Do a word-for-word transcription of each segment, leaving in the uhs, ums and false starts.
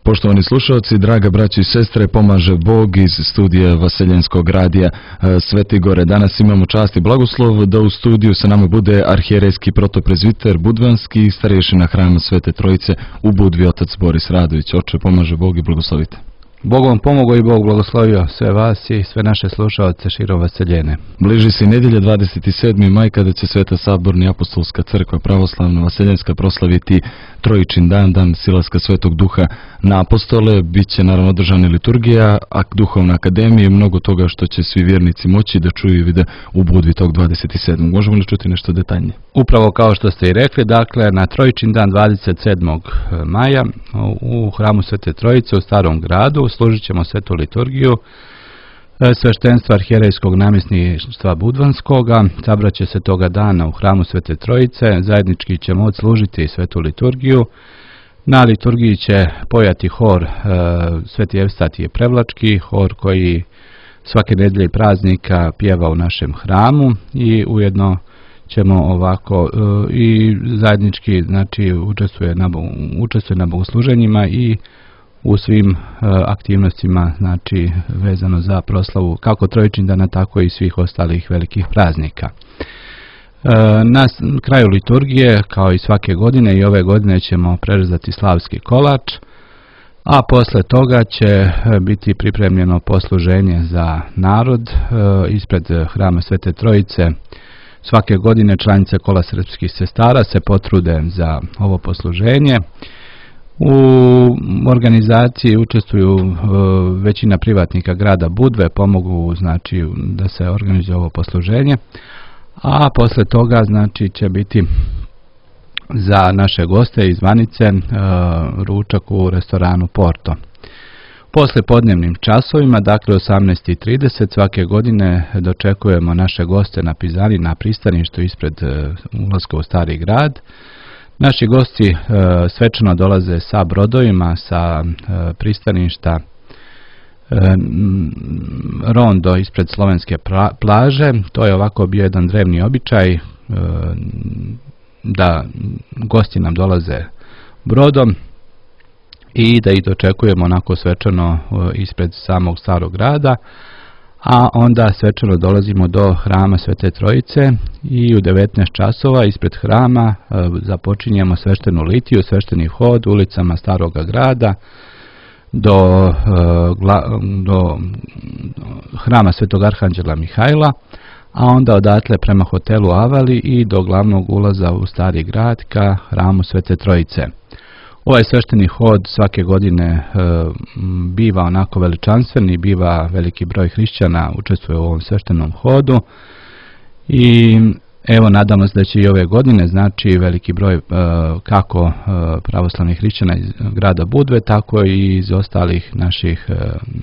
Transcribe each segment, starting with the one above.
Poštovani slušalci, draga braći i sestre, pomaže Bog iz studija Vaseljenskog radija Sveti Gore. Danas imamo čast i blagoslov da u studiju sa nama bude arhijerejski protoprezviter Budvanski i starješina Hrama Svete Trojice u Budvi, otac Boris Radović. Oče, pomaže Bog i blagoslovite. Bog vam pomogao i Bog blagoslovio sve vas i sve naše slušalce širom Vaseljene. Bliži se nedjelja dvadeset sedmi maj kada će Sveta Saborna apostolska crkva pravoslavna Vaseljenska proslaviti Trojičin dan, dan silaska Svetog Duha na apostole. Biće naravno održana liturgija, a duhovna akademija i mnogo toga što će svi vjernici moći da čuju i vide u Budvi tog dvadeset sedmog Možemo li čuti nešto detaljnije? Upravo kao što ste i rekli, dakle na Trojičin dan dvadeset sedmog maja u Hramu Svete Trojice u Starom gradu služit ćemo svetu liturgiju sveštenstva arhijerejskog namjesništva Budvanskoga. Sabraće se toga dana u Hramu Svete Trojice, zajednički ćemo odslužiti svetu liturgiju. Na liturgiji će pojati hor e, Sveti Evstatije Prevlački, hor koji svake nedjelje i praznika pjeva u našem hramu i ujedno ćemo ovako e, i zajednički znači učestvuje na, učestvuje na bogosluženjima i u svim e, aktivnostima znači vezano za proslavu kako Trojičin dana tako i svih ostalih velikih praznika. E, na kraju liturgije kao i svake godine i ove godine ćemo prerezati slavski kolač, a posle toga će biti pripremljeno posluženje za narod e, ispred Hrama Svete Trojice. Svake godine članice Kola srpskih sestara se potrude za ovo posluženje. U organizaciji učestvuju e, većina privatnika grada Budve, pomogu znači da se organizuje ovo posluženje, a posle toga znači će biti za naše goste iz Vanice e, ručak u restoranu Porto. Posle podnevnim časovima, dakle osamnaest i trideset svake godine dočekujemo naše goste na Pizani na pristaništu ispred e, ulaska u Stari grad. Naši gosti e, svečano dolaze sa brodovima sa e, pristaništa e, Rondo ispred slovenske pra, plaže. To je ovako bio jedan drevni običaj e, da gosti nam dolaze brodom i da ih dočekujemo onako svečano e, ispred samog Starog grada. A onda svečano dolazimo do Hrama Svete Trojice i u devetnaest časova ispred hrama e, započinjemo sveštenu litiju, svešteni hod ulicama Staroga grada do, e, gla, do Hrama Svetog Arhanđela Mihajla, a onda odatle prema hotelu Avali i do glavnog ulaza u Stari grad ka Hramu Svete Trojice. Ovaj svešteni hod svake godine e, biva onako veličanstven, biva veliki broj hrišćana učestvuje u ovom sveštenom hodu i evo nadamo se da će i ove godine znači veliki broj e, kako e, pravoslavnih hrišćana iz grada Budve, tako i iz ostalih naših, e,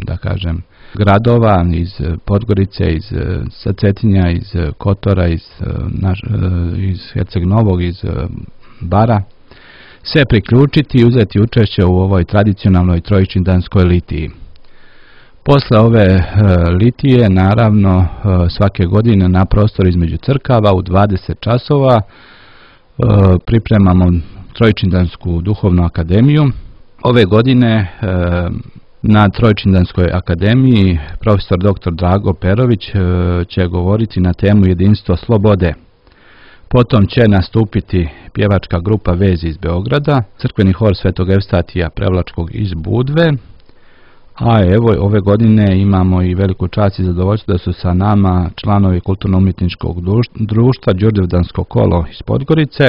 da kažem, gradova, iz Podgorice, iz Cetinja, iz Kotora, iz, naš, iz Herceg Novog, iz Bara, se priključiti i uzeti učešće u ovoj tradicionalnoj trojičindanskoj litiji. Posle ove e, litije, naravno, e, svake godine na prostor između crkava u dvadeset časova e, pripremamo Trojičindansku duhovnu akademiju. Ove godine e, na Trojičindanskoj akademiji profesor doktor Drago Perović e, će govoriti na temu jedinstvo slobode. Potom će nastupiti pjevačka grupa Vezi iz Beograda, crkveni hor Svetog Evstatija Prevlačkog iz Budve, a evo ove godine imamo i veliku čast i zadovoljstvo da su sa nama članovi kulturno-umjetničkog društva Đurđevdansko kolo iz Podgorice,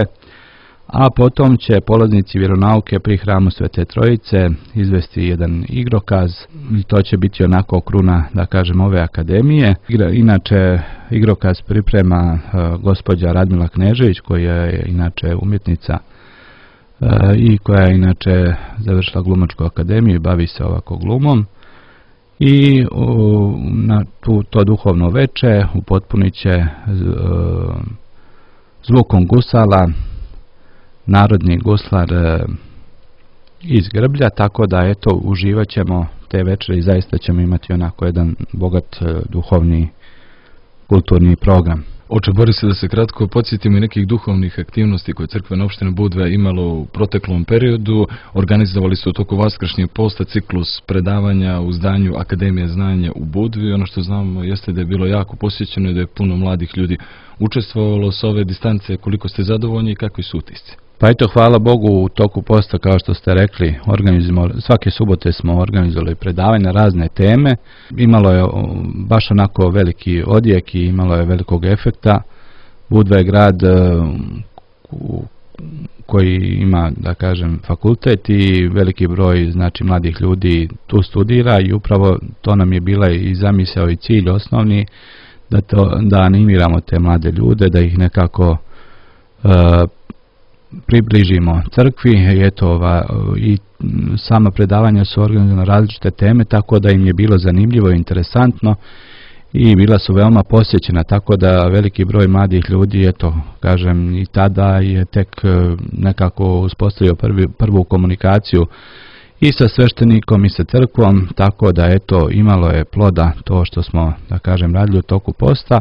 a potom će polaznici vjeronauke pri Hramu Svete Trojice izvesti jedan igrokaz i to će biti onako kruna, da kažem, ove akademije. Inače, igrokaz priprema uh, gospođa Radmila Knežević, koja je inače umjetnica uh, i koja je inače završila glumačku akademiju i bavi se ovako glumom. I uh, na tu, to duhovno veče upotpunit će uh, zvukom gusala narodni guslar e, iz Grblja, tako da eto uživat ćemo te večeri i zaista ćemo imati onako jedan bogat e, duhovni kulturni program. Oče Borise, da se kratko podsjetimo i nekih duhovnih aktivnosti koje crkvena opština Budva imalo u proteklom periodu. Organizovali su u toku vaskršnjeg posta ciklus predavanja u zdanju Akademije znanja u Budvi. Ono što znamo jeste da je bilo jako posjećeno i da je puno mladih ljudi učestvovalo s ove distance. Koliko ste zadovoljni i kakvi su utisci? Pa eto, hvala Bogu, u toku posta, kao što ste rekli, svake subote smo organizovali predavanje na razne teme. Imalo je baš onako veliki odjek i imalo je velikog efekta. Budva je grad koji ima, da kažem, fakultet i veliki broj, znači, mladih ljudi tu studira i upravo to nam je bila i zamisao i cilj osnovni, da, to, da animiramo te mlade ljude, da ih nekako uh, približimo crkvi. I eto, ova, i sama predavanja su organizovane na različite teme, tako da im je bilo zanimljivo i interesantno i bila su veoma posjećena, tako da veliki broj mladih ljudi, eto, kažem, i tada je tek nekako uspostavio prvi, prvu komunikaciju i sa sveštenikom i sa crkvom, tako da eto, imalo je ploda to što smo, da kažem, radili u toku posta.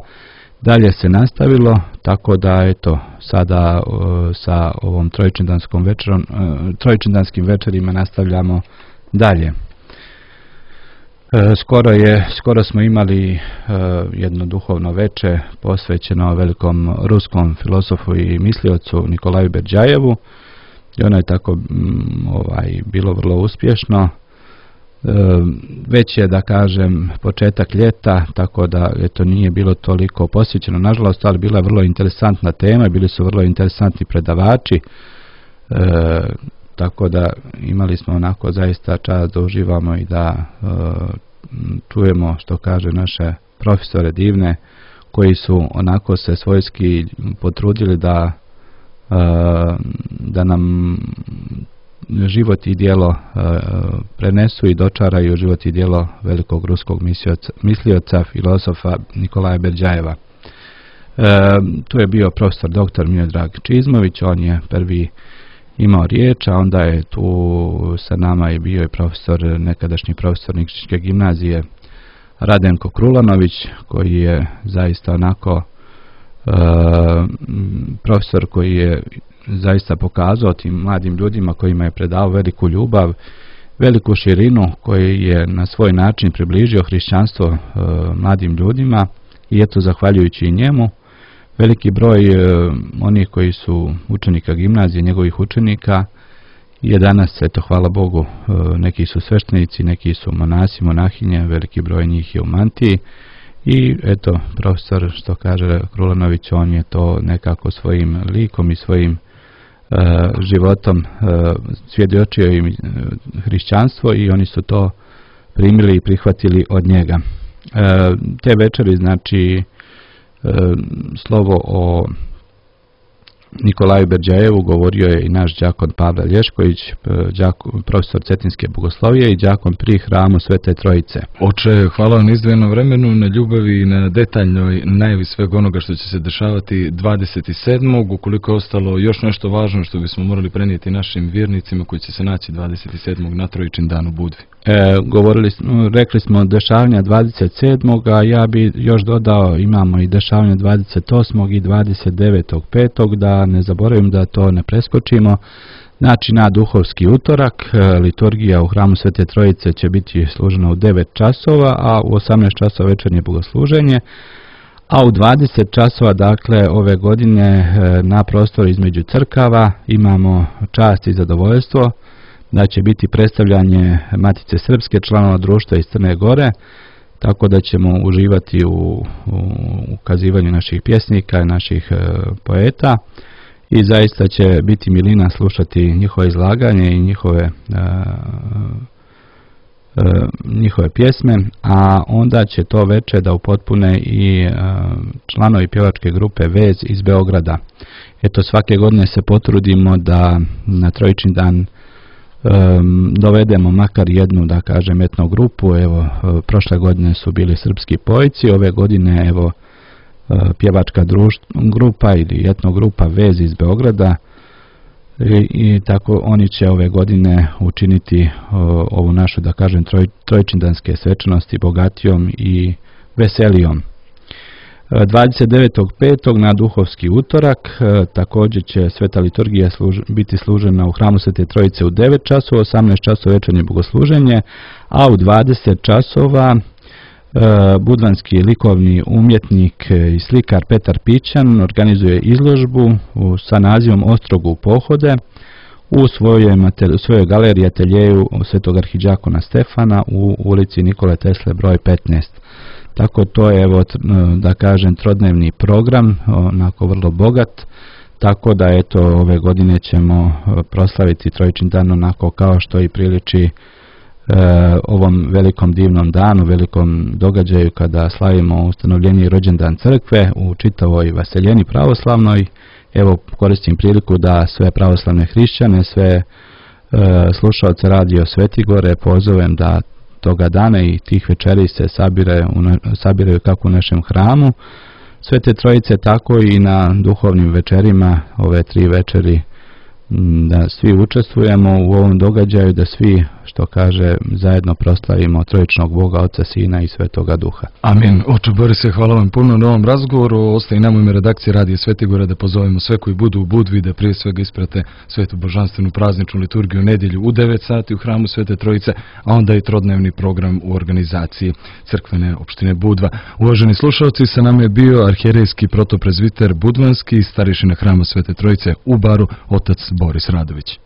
Dalje se nastavilo, tako da eto, sada uh, sa ovom trojičindanskom večerom, uh, trojičindanskim večerima nastavljamo dalje. Uh, skoro je, skoro smo imali uh, jedno duhovno veče posvećeno velikom ruskom filozofu i misliocu Nikolaju Berdjajevu i ono je tako um, ovaj, bilo vrlo uspješno. Već je, da kažem, početak ljeta, tako da eto, nije bilo toliko posjećeno, nažalost, ali bila je vrlo interesantna tema, bili su vrlo interesantni predavači, e, tako da imali smo onako zaista čast da uživamo i da e, čujemo što kaže naše profesore divne, koji su onako se svojski potrudili da, e, da nam život i djelo uh, prenesu i dočaraju život i djelo velikog ruskog mislioca, filozofa Nikolaja Berdjajeva. Uh, tu je bio profesor doktor Miodrag Čizmović, on je prvi imao riječ, a onda je tu sa nama je bio i profesor, nekadašnji profesor Nikšićke gimnazije Radenko Krulanović, koji je zaista onako uh, profesor koji je zaista pokazao tim mladim ljudima kojima je predao veliku ljubav, veliku širinu, koji je na svoj način približio hrišćanstvo e, mladim ljudima i eto, zahvaljujući i njemu, veliki broj e, onih koji su učenika gimnazije, njegovih učenika, je danas, eto, hvala Bogu, e, neki su sveštenici, neki su monasi, monahinje, veliki broj njih je u mantiji. I eto, profesor, što kaže Krulanović, on je to nekako svojim likom i svojim uh, životom uh, svjedočio im uh, hrišćanstvo i oni su to primili i prihvatili od njega. Uh, te večeri, znači, uh, slovo o Nikolaju Berdjajevu govorio je i naš đakon Pavle Lješković, đakon, profesor Cetinske bogoslovije i đakon pri hramu Svete Trojice. Oče, hvala vam na izdvojenom vremenu, na ljubavi i na detaljnoj najavi svega onoga što će se dešavati dvadeset sedmog Ukoliko je ostalo još nešto važno što bismo morali prenijeti našim vjernicima koji će se naći dvadeset sedmog na Trojičin dan u Budvi. E, govorili, rekli smo dešavanja dvadeset sedmog a ja bi još dodao, imamo i dešavanja dvadeset osmog i dvadeset devetog petog da ne zaboravim da to ne preskočimo. Znači, na duhovski utorak liturgija u hramu Svete Trojice će biti služena u devet časova, a u osamnaest časova večernje bogosluženje, a u dvadeset časova, dakle, ove godine na prostoru između crkava imamo čast i zadovoljstvo da će biti predstavljanje Matice Srpske, članova društva iz Crne Gore, tako da ćemo uživati u, u ukazivanju naših pjesnika, naših e, poeta i zaista će biti milina slušati njihove izlaganje i njihove, e, e, njihove pjesme, a onda će to veče da upotpune i e, članovi pjevačke grupe Vez iz Beograda. Eto, svake godine se potrudimo da na Trojičin dan Um, dovedemo makar jednu, da kažem, etno grupu. Evo, prošle godine su bili srpski pojci, ove godine evo pjevačka društva, grupa ili etno grupa Vez iz Beograda i, i tako oni će ove godine učiniti o, ovu našu, da kažem, troj, trojčindanske svečanosti bogatijom i veselijom. dvadeset devetog petog na duhovski utorak također će sveta liturgija služ, biti služena u hramu Svete Trojice u devet časova, osamnaest časova večernje bogosluženje, a u dvadeset časova budvanski likovni umjetnik i slikar Petar Pićan organizuje izložbu sa nazivom Ostrogu pohode u svojoj, u svojoj galeriji ateljeju Svetog arhidžakona Stefana u ulici Nikole Tesle broj petnaest. Tako to je, evo, da kažem, trodnevni program, onako vrlo bogat, tako da eto ove godine ćemo proslaviti Trojičin dan onako kao što i priliči E, ovom velikom divnom danu, velikom događaju kada slavimo ustanovljenje i rođendan crkve u čitavoj Vaseljeni pravoslavnoj. Evo, koristim priliku da sve pravoslavne hrišćane, sve e, slušalce Radio Svetigore pozovem da toga dana i tih večeri se sabire, u, sabiraju kako u našem hramu Svete Trojice, tako i na duhovnim večerima, ove tri večeri, da svi učestvujemo u ovom događaju, da svi, što kaže, zajedno proslavimo trojičnog Boga, Oca, Sina i Svetoga Duha. Amin. Oče Borise, hvala vam puno na ovom razgovoru. Ostaje nam u ime redakcije Radija Svetigora da pozovemo sve koji budu u Budvi da prije svega isprate svetu božanstvenu prazničnu liturgiju u nedjelju u devet sati u hramu Svete Trojice, a onda i trodnevni program u organizaciji crkvene opštine Budva. Uvaženi slušalci, sa nama je bio arhijerejski protoprezviter Budvanski i starješina hrama Svete Trojice u Baru, otac Boris Radović.